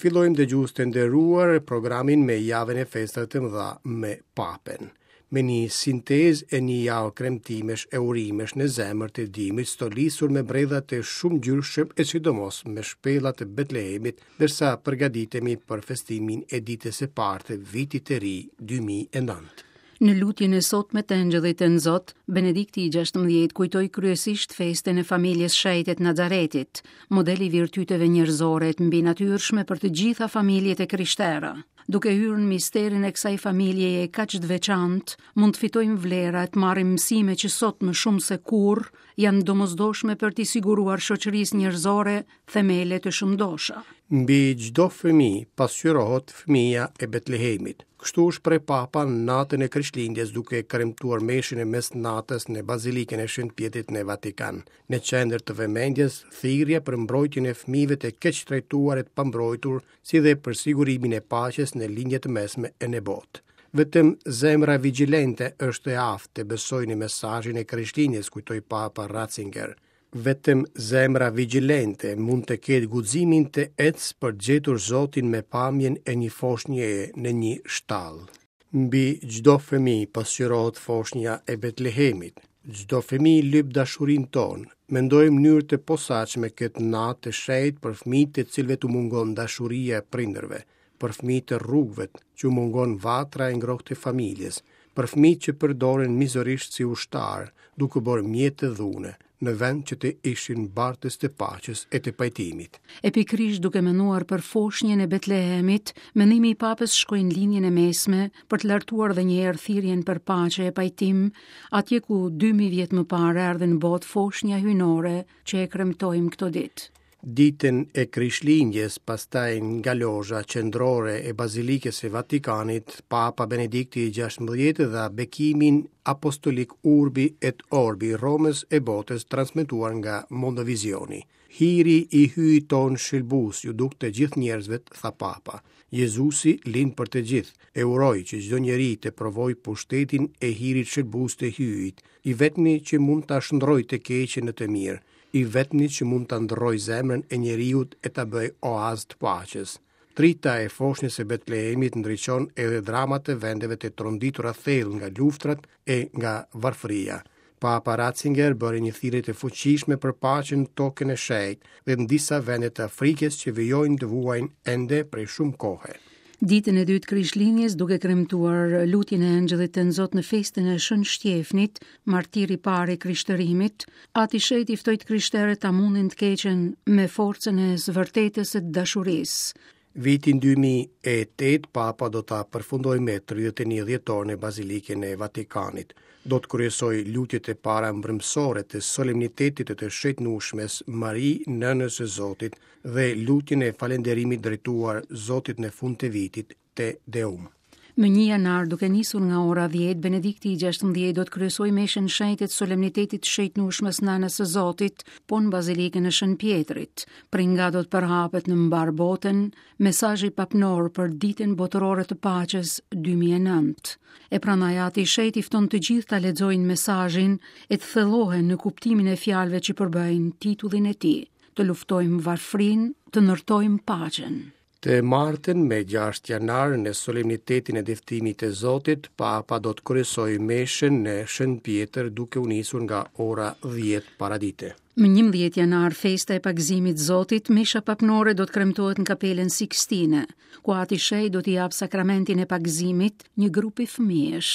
fillojmë dëgjues të nderuar programin me javën e festave të mëdha me Papën. Me një sintezë e një javë kremtimesh e urimesh në zemër të dimrit stolisur me bredha të shumëngjyrshëm e sidomos me shpella të Betlehemit, ndërsa përgatitemi për festimin e ditës së parë të vitit të ri 2009. Në lutjen e sotme të Engjëllit Tënzot, Benedikti i 16 kujtoi kryesisht festën e familjes shenjte të Nazaretit, model i virtyteve njerëzore të mbinatyrshme për të gjitha familjet e krishtera. Duke hyrë në misterin e kësaj familjeje kaq të veçantë, mund të fitojmë vlera e të marrim mësime që sot më shumë se kurrë janë të domosdoshme për t'i siguruar shoqërisë njerëzore themele të shëndosha. Mbi çdo fëmijë pasqyrohet fëmija e Betlehemit. Kështu u shpreh Papa natën e Krishtlindjes duke kremtuar meshën e mesnatës në Bazilikën e Shën Pjetrit në Vatikan. Në qendër të vëmendjes, thirrja për mbrojtjen e fëmijëve të keqtrajtuar e të pambrojtur, si dhe për sigurimin e paqes në Lindje të Mesme e në botë. Vetëm zemra vigjilente është e aftë të besojë në mesazhin e Krishtlindjes, kujtoi Papa Ratzinger. Vetëm zemra vigjilente mund të ketë guximin të ecë për të gjetur Zotin me pamjen e një foshnjeje në një shtallë. Mbi çdo fëmijë pasqyrohet foshnja e Betlehemit. Çdo fëmijë lyp dashurinë tonë. Mendojmë në mënyrë të posaçme këtë natë të shenjtë për fëmijët të cilëve t'u mungon dashuria e prindërve, për fëmijët e rrugëve që u mungon vatra e ngrohtë e familjes, për fëmijët që përdoren mizorisht si ushtarë, duke u bërë mjete dhune, në vend që të ishin bartës të paqes e të pajtimit. E pikërisht duke menduar për foshnjën e Betlehemit, mendimi i Papës shkoi në Lindjen e Mesme për të lartuar dhe një herë thirrjen për paqe e pajtim, atje ku 2000 vjet më parë erdhi në botë foshnja hyjnore që e kremtojmë këto ditë. Ditën e Krishtlindjes, pastaj nga lozha qendrore e Bazilikës së Vatikanit, Papa Benedikti i XVI dha bekimin apostolik Urbi et Orbi Romës e botës transmetuar nga Mondovizioni. Hiri i Hyjit tonë shëlbues iu duk të gjithë njerëzve, tha Papa. Jezusi lind për të gjithë, e uroj që çdo njeri të provojë pushtetin e hirit shëlbues të Hyjit, i vetmi që mund ta shndërrojë të keqen në të mirë, i vetmi që mund ta ndërrojë zemrën e njeriut e ta bëjë oaz të paqes. Drita e foshnjës së Betlehemit ndriçon edhe dramat e vendeve të tronditura thellë nga luftrat e nga varfëria. Papa Ratzinger bëri një thirrje të fuqishme për paqen në Tokën e Shenjtë dhe në disa vende të Afrikës që vijojnë të vuajnë ende prej shumë kohe. Ditën e dytë Krishtlindjes, duke kremtuar lutjen e Engjëllit Tënzot në festën e Shën Shtjefnit, martir i parë i krishtërimit, Ati i Shenjtë i ftoi të krishterët ta mundin të keqen me forcën e së vërtetës e të dashurisë. Vitin 2008 Papa do ta përfundojë me 31 dhjetor në Bazilikën e Vatikanit. Do të kryesojë lutjet e para mbrëmësore të solemnitetit të të Shenjtnueshmes Mari, Nënës së Zotit, dhe lutjen e falënderimit drejtuar Zotit në fund të vitit, Te Deum. Më 1 janar, duke nisur nga ora 10, Benedikti i 16 do të kryesojë meshën e shenjtë të solemnitetit të shenjtnueshmes Nënës së Zotit, po në Bazilikën e Shën Pjetrit, prej nga do të përhapet në mbarë botën mesazhi papnor për Ditën Botërore të Paqes 2009. E prandaj Ati i Shenjtë i fton të gjithë ta lexojnë mesazhin e të thellohen në kuptimin e fjalëve që përbëjnë titullin e tij. Të luftojmë varfërinë, të ndërtojmë paqen. Të martën, me 6 janar, në solemnitetin e dëftimit të Zotit, Papa do të kryesojë meshën në Shën Pjetër duke u nisur nga ora 10 paradite. Më 11 janar, festa e pagëzimit të Zotit, mesha papnore do të kremtohet në Kapelën Sikstine, ku Ati i Shenjtë do t'i japë sakramentin e pagëzimit një grupi fëmijësh.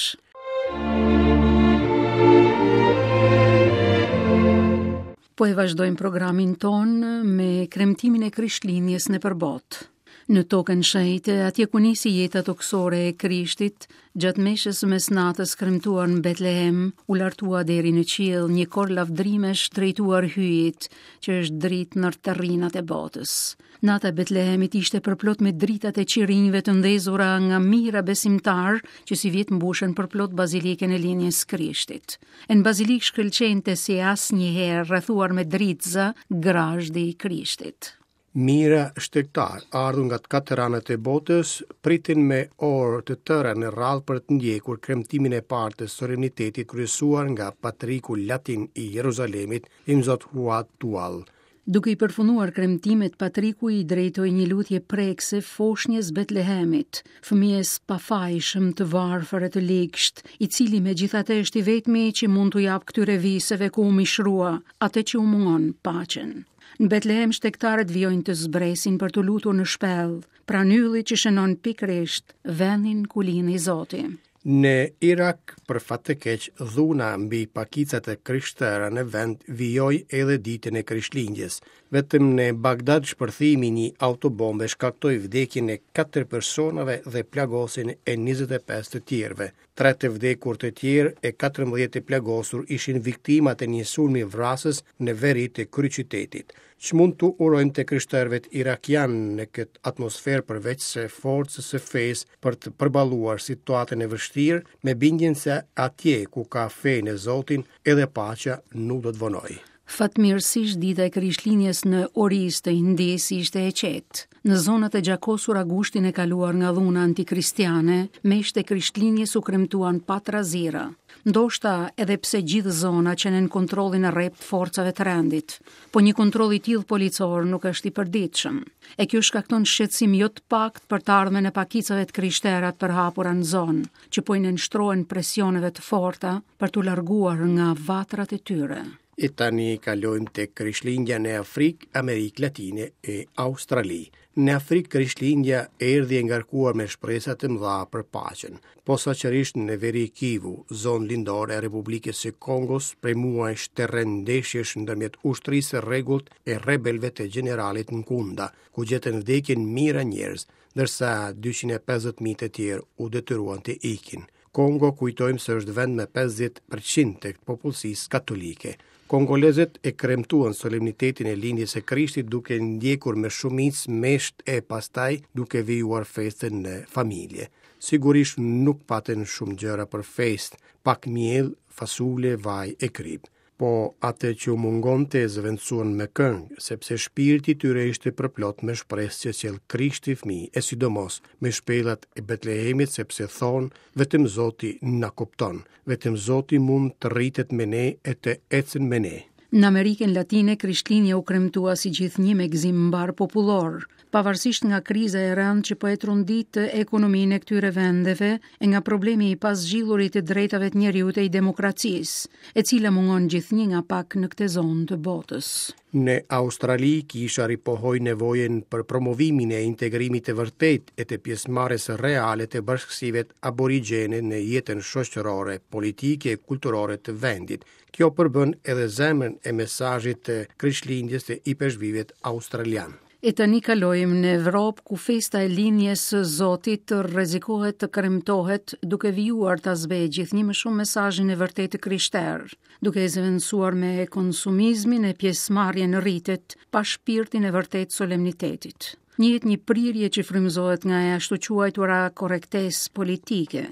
Po e vazhdojmë programin tonë me kremtimin e Krishtlindjes nëpër botë. Në tokën shenjte, atje ku nisi jeta tokësore e Krishtit, gjatë meshës së mesnatës kremtuar në Betlehem, u lartua deri në qiell një kor lavdrimesh drejtuar Hyjit, që është dritë në terrinat e botës. Nata e Betlehemit ishte përplot me dritat e qirinjve të ndezura nga mijëra besimtarë që sivjet mbushën përplot bazilikën e lindjes së Krishtit. E në bazilikë shkëlqente si asnjëherë rrethuar me dritëza grazhdi i Krishtit. Mijëra shtegtarë, ardhur nga të katër anët e botës, pritën me orë të tëra në radhë për të ndjekur kremtimin e parë të solemnitetit kryesuar nga patriku latin i Jeruzalemit, Imzot Fuad Tual. Duke i përfunduar kremtimet, Patriku i drejtoi një lutje prekëse foshnjës Betlehemit, fëmijës pafajshëm të varfër e të ligshtë, i cili megjithatë është i vetmi që mund t'u japë këtyre viseve ku u mishrua atë që u mungon paqen. Në Betlehem shtegtarët vijojnë të zbresin për t'u lutur në shpellë, pranë yllit që shënon pikërisht vendin ku lindi Zoti. Në Irak, për fat të keq, dhuna mbi pakicat e krishtera në vend vijoi edhe ditën e Krishtlindjes. Vetëm në Bagdad shpërthimi i një autobombe shkaktoi vdekjen e 4 personave dhe plagosjen e 25 të tjerëve. Tre të vdekur të tjerë e 14 të plagosur ishin viktimat e një sulmi vrasës në veri të kryeqytetit. Ç'mund t'u urojmë të krishterëve irakianë në këtë atmosferë përveç se forcës së fesë për të përballuar situatën e vështirë, me bindjen se atje ku ka fe në Zotin, edhe paqja nuk do të vonojë. Fatmirësisht dita e Krishtlindjes në Orisë të Indisë ishte e qetë. Në zonat e gjakosura gushtin e kaluar nga dhuna antikristiane, meshat e Krishtlindjes u kremtuan pa trazira. Ndoshta edhe pse gjithë zona qe nën kontrollin e rreptë të forcave të rendit. Po një kontroll i tillë policor nuk është i përditshëm. E kjo shkakton shqetësim jo të paktë për të ardhmen e pakicave të krishtera të përhapura në zonë, që po i nënshtrohen presioneve të forta për t'u larguar nga vatrat e tyre. E tani kalojmë tek Krishtlindja në Afrikë, Amerikë Latine e Australi. Në Afrikë Krishtlindja erdhi e ngarkuar me shpresa të mëdha për paqen. Posaçërisht në veri Kivu, zonë lindore e Republikës së Kongos, prej muajsh terren ndeshjesh ndërmjet ushtrisë së rregullt e rebelëve të gjeneralit Nkunda, ku gjetën vdekjen mijëra njerëz, ndërsa 250.000 të tjerë u detyruan të ikin. Kongo kujtojmë se është vend me 50% të popullsisë katolike. Kongolezët e kremtuan solemnitetin e lindjes së Krishtit duke ndjekur me shumicë meshat e pastaj duke vijuar festën në familje. Sigurisht nuk patën shumë gjëra për festë, pak miell, fasule, vaj e kripë. Po atë që u mungonte e zëvendësuan me këngë, sepse shpirti i tyre ishte përplot me shpresë që sjell Krishti fëmijë, e sidomos me shpellat e Betlehemit, sepse thonë, vetëm Zoti na kupton, vetëm Zoti mund të rritet me ne e të ecën me ne. Në Amerikën Latine, Krishtlindja u kremtua si gjithnjë me gëzim mbarëpopullor, pavarësisht nga kriza e rëndë që po e trondit ekonominë e këtyre vendeve e nga problemi i pazgjidhur i të drejtave të njeriut e i demokracisë, e cila mungon gjithnjë nga pak në këtë zonë të botës. Në Australi, kisha ripohoi nevojën për promovimin e integrimit të vërtetë e të pjesëmarrjes reale të bashkësive aborigjene në jetën shoqërore, politike e kulturore të vendit. Kjo përbën edhe zemrën e mesazhit të Krishtlindjes të ipeshkvit australian. E tani kalojmë në Evropë ku festa e lindjes së Zotit rrezikohet të kremtohet duke vijuar ta zbehë gjithnjë më shumë mesazhin e vërtetë të krishterë, duke e zëvendësuar me konsumizmin e pjesëmarrjen në ritet pa shpirtin e vërtetë solemnitetit. Njihet një prirje që frymëzohet nga e ashtuquajtura korrektesë politike.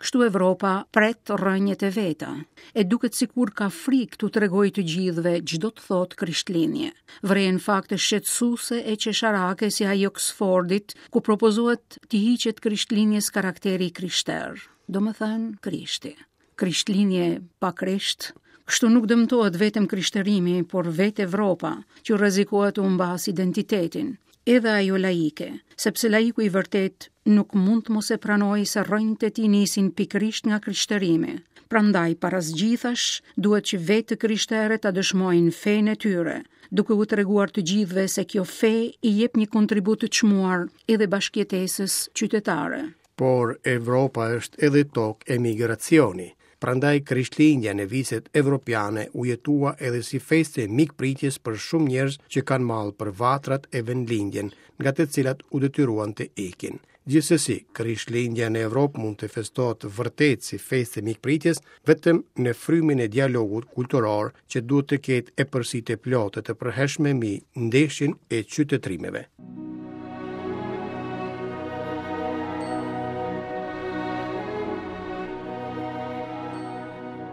Kështu Evropa pret rrënjët e veta, e duket sikur ka frikë t'u tregojë të gjithëve ç'do të thotë Krishtlindje. Vërehen fakte shqetësuese e qesharake si ai i Oksfordit, ku propozohet t'i hiqet Krishtlindjes karakteri i krishterë, domethënë Krishti. Krishtlindje pa Krisht, kështu nuk dëmtohet vetëm krishterimi, por vetë Evropa, që rrezikohet të humbasë identitetin, edhe ajo laike, sepse laiku i vërtetë nuk mund të mos e pranojë se rrënjët e tij nisin pikërisht nga krishterimi. Prandaj, para së gjithash, duhet që vetë të krishterët ta dëshmojnë fenë e tyre, duke u treguar të gjithëve se kjo fe i jep një kontribut të çmuar edhe bashkëjetesës qytetare. Por Evropa është edhe tokë emigracioni. Prandaj Krishtlindja në viset evropiane u jetua edhe si festë e mikpritjes për shumë njerëz që kanë mall për vatrat e vendlindjen, nga të cilat u detyruan të ikin. Gjithsesi, Krishtlindja në Evropë mund të festohet vërtet si festë e mikpritjes vetëm në frymën e dialogut kulturor që duhet të ketë epërsi të plotë e të përhershme mbi ndeshjen e qytetërimeve.